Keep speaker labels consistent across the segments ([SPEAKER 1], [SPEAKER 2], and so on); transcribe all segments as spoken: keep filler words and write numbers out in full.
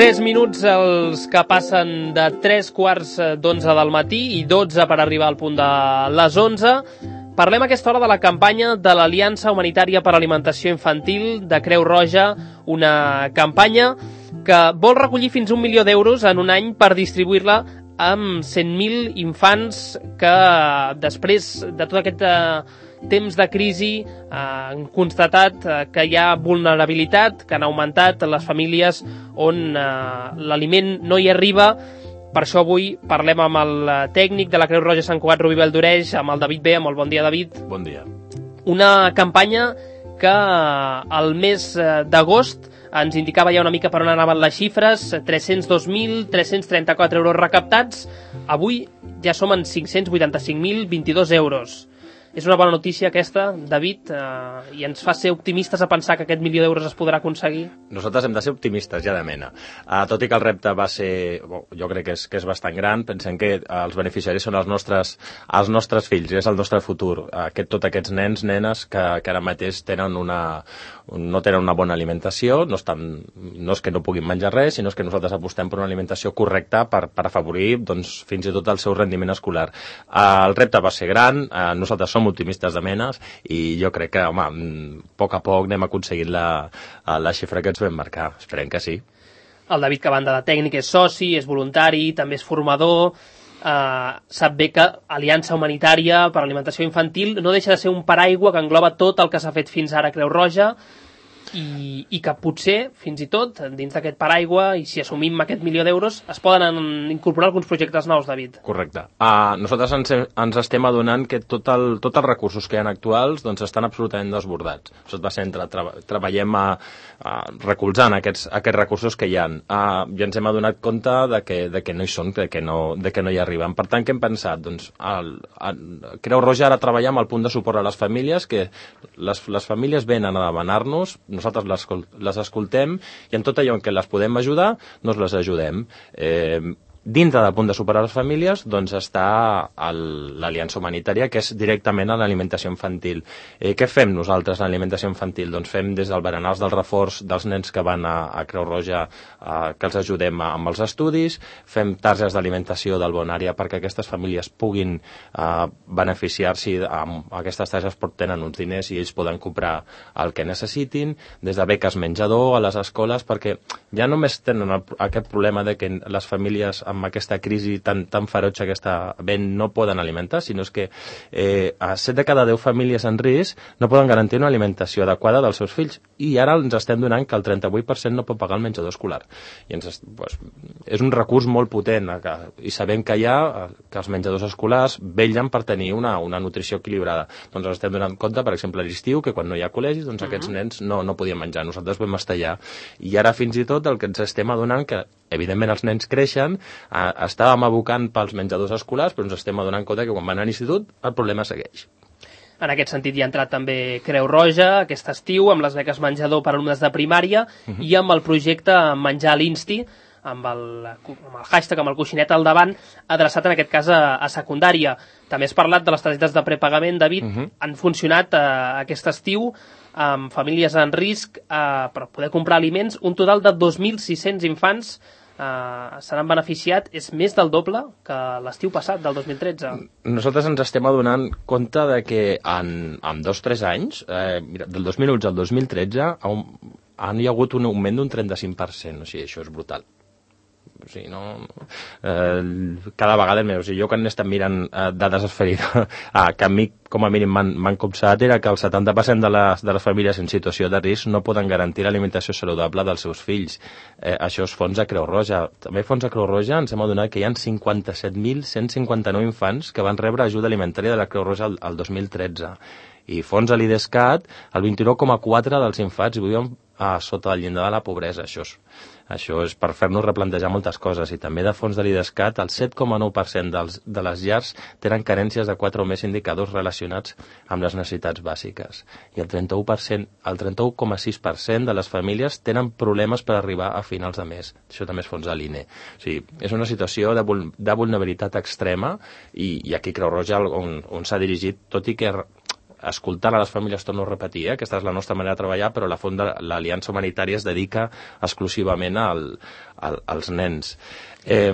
[SPEAKER 1] tres minuts els que passen de tres quarts d'onze del matí i dotze per arribar al punt de les onze. Parlem a aquesta hora de la campanya de l'Aliança Humanitària per Alimentació Infantil de Creu Roja, una campanya que vol recollir fins un milió d'euros en un any per distribuir-la amb cent mil infants que després de tot aquest eh, temps de crisi eh, han constatat eh, que hi ha vulnerabilitat, que han augmentat les famílies on eh, l'aliment no hi arriba. Per això avui parlem amb el tècnic de la Creu Roja Sant Cugat, Rubí Valldoreix, amb el David B. Molt bon dia, David.
[SPEAKER 2] Bon dia.
[SPEAKER 1] Una campanya que al mes d'agost ens indicava ja una mica per on anaven les xifres, tres-cents dos mil tres-cents trenta-quatre euros recaptats. Avui ja som en cinc-cents vuitanta-cinc mil vint-i-dos euros. És una bona notícia aquesta, David, eh, i ens fa ser optimistes a pensar que aquest milió d'euros es podrà aconseguir?
[SPEAKER 2] Nosaltres hem de ser optimistes, ja de mena. Uh, tot i que el repte va ser, bo, jo crec que és, que és bastant gran, pensem que uh, els beneficiaris són els nostres, els nostres fills, és el nostre futur. Uh, aquest, tots aquests nens, nenes, que, que ara mateix tenen una, no tenen una bona alimentació, no, estan, no és que no puguin menjar res, sinó que nosaltres apostem per una alimentació correcta per, per afavorir doncs, fins i tot el seu rendiment escolar. Uh, el repte va ser gran, uh, nosaltres som optimistes de menes i jo crec que, home, a poc a poc anem aconseguint la, la xifra que ens vam marcar. Esperem que sí.
[SPEAKER 1] El David, que a banda de tècnic és soci, és voluntari, també és formador, eh, sap bé que Aliança Humanitària per Alimentació Infantil no deixa de ser un paraigua que engloba tot el que s'ha fet fins ara a Creu Roja i, i que potser, fins i tot, dins d'aquest paraigua, i si assumim aquest milió d'euros, es poden incorporar alguns projectes nous, David.
[SPEAKER 2] Correcte. Uh, nosaltres ens, ens estem adonant que tot el, tots els recursos que hi ha actuals doncs, estan absolutament desbordats. Això va ser entre, tra treballem a, a recolzant aquests, aquests recursos que hi ha. Uh, I ens hem adonat compte de que, de que no hi són, de que no, de que no hi arriben. Per tant, què hem pensat? Doncs, el, el Creu Roja ara treballa amb el punt de suport a les famílies, que les, les famílies venen a demanar-nos, nosaltres les, les escoltem i en tot allò en què les podem ajudar, doncs les ajudem. Eh, dintre del punt de suport a les famílies doncs està l'Aliança Humanitària, que és directament a l'alimentació infantil. Eh, què fem nosaltres a l'alimentació infantil? Doncs fem des del berenars del reforç dels nens que van a, a Creu Roja, eh, que els ajudem amb els estudis, fem targes d'alimentació del Bonària perquè aquestes famílies puguin eh, beneficiar-s'hi amb aquestes targes, però tenen uns diners i ells poden comprar el que necessitin, des de beques menjador a les escoles, perquè ja només tenen el, aquest problema de que les famílies amb aquesta crisi tan, tan ferotge que està havent no poden alimentar, sinó és que eh, a set de cada deu famílies en risc no poden garantir una alimentació adequada dels seus fills i ara ens estem donant que el trenta-vuit per cent no pot pagar el menjador escolar. I ens, doncs, és un recurs molt potent que, i sabem que hi ha que els menjadors escolars vetllen per tenir una, una nutrició equilibrada. Doncs ens estem donant compte, per exemple, a l'estiu, que quan no hi ha col·legis, doncs uh -huh. aquests nens no, no podien menjar. Nosaltres vam estar allà. I ara fins i tot el que ens estem adonant que evidentment els nens creixen, eh, estàvem abocant pels menjadors escolars, però ens estem adonant compte que quan van a l'institut el problema segueix.
[SPEAKER 1] En aquest sentit hi ha entrat també Creu Roja aquest estiu amb les beques menjador per alumnes de primària uh -huh. i amb el projecte Menjar a l'Insti, amb el, amb el hashtag, amb el coixinet al davant, adreçat en aquest cas a, a secundària. També has parlat de les targetes de prepagament, David. Uh -huh. Han funcionat eh, aquest estiu amb famílies en risc eh, per poder comprar aliments. Un total de dos mil sis-cents infants eh, se n'han beneficiat. És més del doble que l'estiu passat, del dos mil tretze.
[SPEAKER 2] Nosaltres ens estem adonant compte de que en, en dos o tres anys, eh, mira, del dos mil onze al dos mil tretze, han, han hi ha hagut un augment d'un trenta-cinc per cent. O sigui, això és brutal. O sigui, no, eh, cada vegada més. O sigui, jo quan he estat mirant eh, dades esferides, ah, que a mi com a mínim m'han copsat, era que el setanta per cent de les, de les famílies en situació de risc no poden garantir l'alimentació saludable dels seus fills. Eh, això és fons de Creu Roja. També fons de Creu Roja ens hem adonat que hi ha cinquanta-set mil cent cinquanta-nou infants que van rebre ajuda alimentària de la Creu Roja el, el dos mil tretze. I fons a l'IDESCAT, el vint-i-nou coma quatre dels infants viuen a sota el llindar de la pobresa. Això és, això és per fer-nos replantejar moltes coses. I també de fons de l'IDESCAT, el set coma nou per cent dels, de les llars tenen carències de quatre o més indicadors relacionats amb les necessitats bàsiques. I el trenta-u per cent, el trenta-u coma sis per cent de les famílies tenen problemes per arribar a finals de mes. Això també és fons de l'I N E. O sigui, és una situació de, vul de vulnerabilitat extrema i, i aquí Creu Roja on, on s'ha dirigit, tot i que escoltant a les famílies, torno a repetir, eh? Aquesta és la nostra manera de treballar, però la font de l'Aliança Humanitària es dedica exclusivament al, al, als nens. Eh,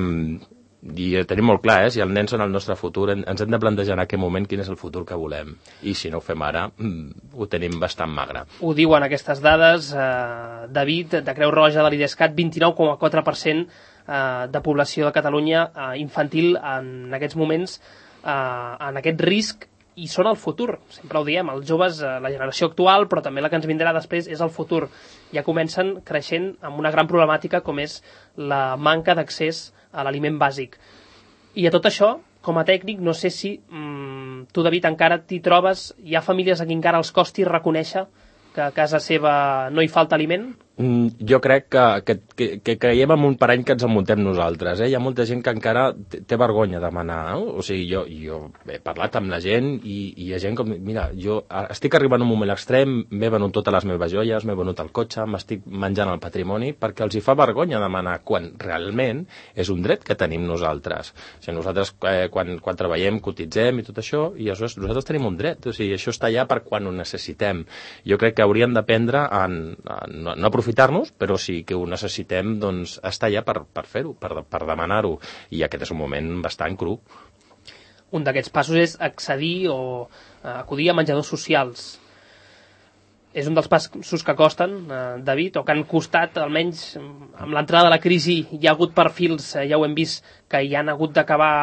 [SPEAKER 2] I tenim molt clar, eh? Si els nens són el nostre futur, ens hem de plantejar en aquest moment quin és el futur que volem. I si no ho fem ara, ho tenim bastant magre.
[SPEAKER 1] Ho diuen aquestes dades, eh, David, de Creu Roja de l'Idescat, vint-i-nou coma quatre per cent eh, de població de Catalunya eh, infantil en aquests moments, eh, en aquest risc, i són el futur, sempre ho diem, els joves, eh, la generació actual, però també la que ens vindrà després és el futur. Ja comencen creixent amb una gran problemàtica com és la manca d'accés a l'aliment bàsic. I a tot això, com a tècnic, no sé si mmm, tu, David, encara t'hi trobes, hi ha famílies a qui encara els costi reconèixer que a casa seva no hi falta aliment?
[SPEAKER 2] Mm, jo crec que, que, que, que creiem en un parany que ens enmuntem nosaltres. Eh? Hi ha molta gent que encara té, té vergonya de demanar. No? O sigui, jo, jo he parlat amb la gent i, i hi ha gent com... Mira, jo estic arribant a un moment extrem, m'he venut totes les meves joies, m'he venut el cotxe, m'estic menjant el patrimoni, perquè els hi fa vergonya demanar quan realment és un dret que tenim nosaltres. O sigui, nosaltres eh, quan, quan treballem, cotitzem i tot això, i això, nosaltres tenim un dret. O sigui, això està allà per quan ho necessitem. Jo crec que hauríem d'aprendre a, a no, no aprofitar-nos, però sí que ho necessitem, doncs, estar allà per, per fer-ho, per, per demanar-ho. I aquest és un moment bastant cru.
[SPEAKER 1] Un d'aquests passos és accedir o eh, acudir a menjadors socials. És un dels passos que costen, eh, David, o que han costat, almenys amb l'entrada de la crisi, hi ha hagut perfils, eh, ja ho hem vist, que hi han hagut d'acabar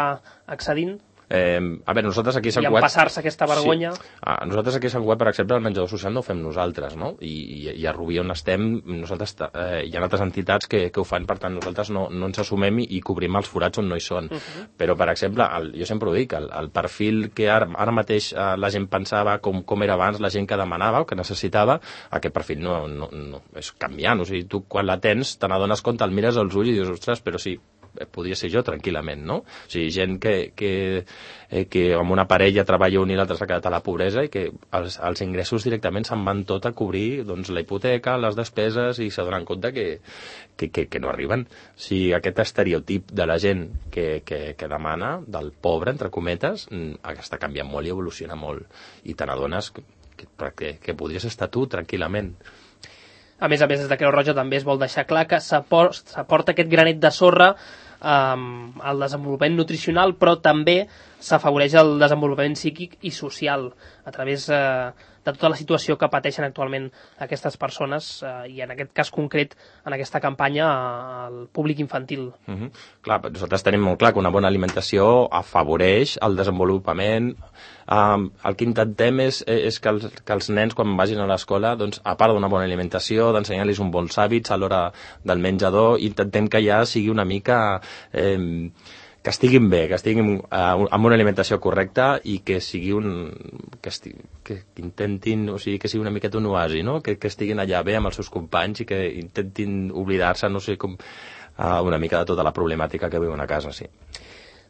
[SPEAKER 1] accedint?
[SPEAKER 2] Eh, a veure, nosaltres aquí a Sant
[SPEAKER 1] Cugat... I empassar-se aquesta vergonya...
[SPEAKER 2] Sí. Ah, nosaltres aquí a Sant Cugat, per exemple, el menjador social no ho fem nosaltres, no? I, i, i a Rubí, on estem, nosaltres, eh, hi ha altres entitats que, que ho fan, per tant, nosaltres no, no ens assumem i, i cobrim els forats on no hi són. Uh -huh. Però, per exemple, el, jo sempre ho dic, el, el perfil que ara, ara mateix eh, la gent pensava com, com era abans, la gent que demanava o que necessitava, aquest perfil no, no, no és canviant. O sigui, tu quan la tens, te n'adones compte, el mires als ulls i dius, ostres, però sí, podria ser jo tranquil·lament, no? O sigui, gent que, que, eh, que amb una parella treballa un i l'altre s'ha quedat a la pobresa i que els, els ingressos directament se'n van tot a cobrir doncs, la hipoteca, les despeses, i s'adonen compte que, que, que, que no arriben. O sigui, aquest estereotip de la gent que, que, que demana, del pobre, entre cometes, està canviant molt i evoluciona molt. I te n'adones que, que, que podries estar tu tranquil·lament.
[SPEAKER 1] A més a més, des de Creu Roja també es vol deixar clar que s'aporta aquest granet de sorra um, al desenvolupament nutricional, però també s'afavoreix el desenvolupament psíquic i social a través eh, de tota la situació que pateixen actualment aquestes persones eh, i en aquest cas concret, en aquesta campanya, al públic infantil.
[SPEAKER 2] Uh -huh. Clar, nosaltres tenim molt clar que una bona alimentació afavoreix el desenvolupament. Um, el que intentem és, és que, els, que els nens, quan vagin a l'escola, doncs, a part d'una bona alimentació, d'ensenyar-los uns bons hàbits a l'hora del menjador, intentem que ja sigui una mica... Eh, que estiguin bé, que estiguin uh, amb una alimentació correcta i que sigui un... que, esti, que, que intentin, o sigui, que sigui una miqueta un oasi, no? Que, que estiguin allà bé amb els seus companys i que intentin oblidar-se, no sé com, uh, una mica de tota la problemàtica que viuen a casa, sí.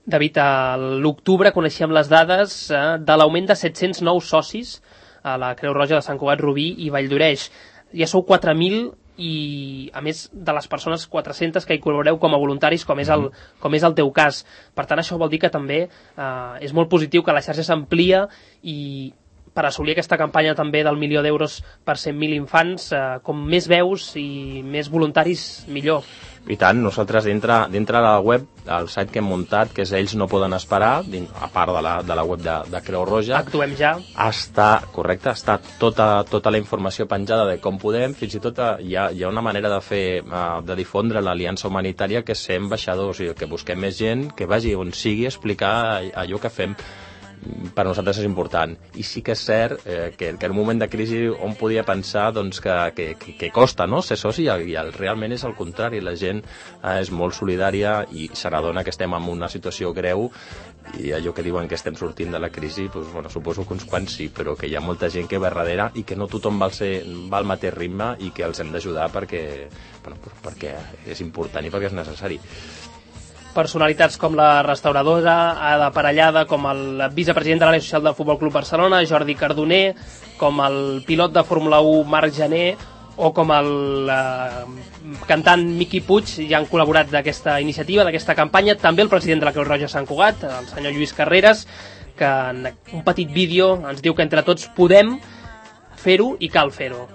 [SPEAKER 1] David, a l'octubre coneixíem les dades eh, de l'augment de set-cents nous socis a la Creu Roja de Sant Cugat, Rubí i Valldoreix. Ja sou quatre mil i, a més de les persones quatre-centes que hi col·laboreu com a voluntaris, com és el, com és el teu cas. Per tant, això vol dir que també eh, és molt positiu que la xarxa s'amplia i per assolir aquesta campanya també del milió d'euros per cent mil infants, eh, com més veus i més voluntaris, millor.
[SPEAKER 2] I tant, nosaltres dintre, dintre de la web, el site que hem muntat, que és Ells no poden esperar, a part de la, de la web de, de Creu Roja,
[SPEAKER 1] Actuem ja.
[SPEAKER 2] Està, correcte, està tota, tota la informació penjada de com podem, fins i tot hi ha, hi ha una manera de fer, de difondre l'Aliança Humanitària, que és ser ambaixadors, o sigui, que busquem més gent que vagi on sigui a explicar allò que fem. Per nosaltres és important. I sí que és cert eh, que, que en un moment de crisi on podia pensar doncs, que, que, que costa, no?, ser soci, i, i el, realment és el contrari. La gent eh, és molt solidària i se n'adona que estem en una situació greu, i allò que diuen que estem sortint de la crisi, doncs, bueno, suposo que uns quants sí, però que hi ha molta gent que ve darrere i que no tothom va, ser, va al mateix ritme i que els hem d'ajudar perquè, bueno, perquè és important i perquè és necessari.
[SPEAKER 1] Personalitats com la restauradora Ada Parellada, com el vicepresident de l'àrea social del Futbol Club Barcelona, Jordi Cardoner, com el pilot de Fórmula u Marc Jané, o com el eh, cantant Miqui Puig, ja han col·laborat d'aquesta iniciativa, d'aquesta campanya, també el president de la Creu Roja Sant Cugat, el senyor Lluís Carreras, que en un petit vídeo ens diu que entre tots podem fer-ho i cal fer-ho.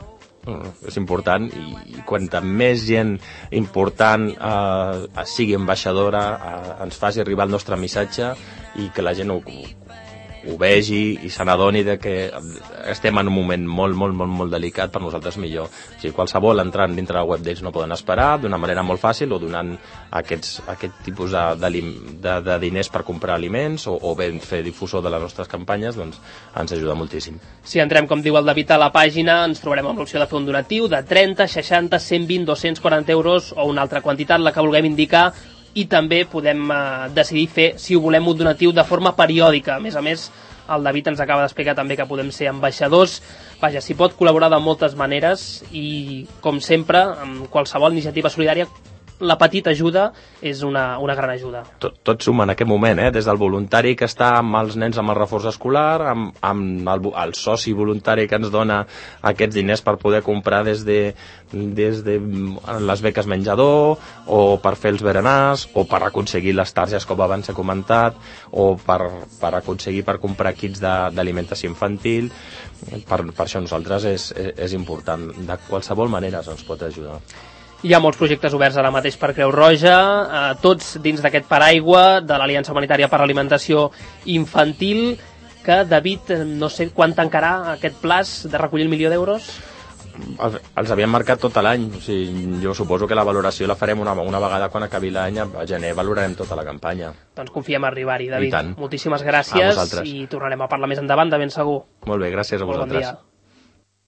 [SPEAKER 2] És important, i quanta més gent important eh, sigui ambaixadora, eh, ens faci arribar el nostre missatge i que la gent ho, ho vegi i se n'adoni de que estem en un moment molt, molt, molt, molt delicat, per nosaltres millor. O sigui, qualsevol entrant dintre la web d'ells no poden esperar, d'una manera molt fàcil, o donant aquests, aquest tipus de, de, de, de diners per comprar aliments, o, o bé fer difusor de les nostres campanyes, doncs ens ajuda moltíssim.
[SPEAKER 1] Si entrem, com diu el David, a la pàgina, ens trobarem amb l'opció de fer un donatiu de trenta, seixanta, cent vint, dos-cents quaranta euros o una altra quantitat, la que vulguem indicar, i també podem eh, decidir fer, si ho volem, un donatiu de forma periòdica. A més a més, el David ens acaba d'explicar també que podem ser ambaixadors. Vaja, s'hi pot col·laborar de moltes maneres i, com sempre, amb qualsevol iniciativa solidària, la petita ajuda és una, una gran ajuda.
[SPEAKER 2] Tot, tot suma en aquest moment, eh? Des del voluntari que està amb els nens amb el reforç escolar, amb, amb el, el soci voluntari que ens dona aquests diners per poder comprar des de, des de les beques menjador, o per fer els berenars, o per aconseguir les targes, com abans he comentat, o per, per aconseguir per comprar kits d'alimentació infantil. Per, per això nosaltres és, és important. De qualsevol manera ens pot ajudar.
[SPEAKER 1] Hi ha molts projectes oberts ara mateix per Creu Roja, eh, tots dins d'aquest paraigua de l'Aliança Humanitària per l'Alimentació Infantil, que, David, no sé quan tancarà aquest plaç de recollir el milió d'euros?
[SPEAKER 2] Els, els havíem marcat tot l'any. O sigui, jo suposo que la valoració la farem una, una vegada quan acabi l'any. A gener valorarem tota la campanya.
[SPEAKER 1] Doncs confiem a arribar-hi, David.
[SPEAKER 2] I tant.
[SPEAKER 1] Moltíssimes gràcies i tornarem a parlar més endavant, de ben segur.
[SPEAKER 2] Molt bé, gràcies a vosaltres.
[SPEAKER 1] Molt bon dia.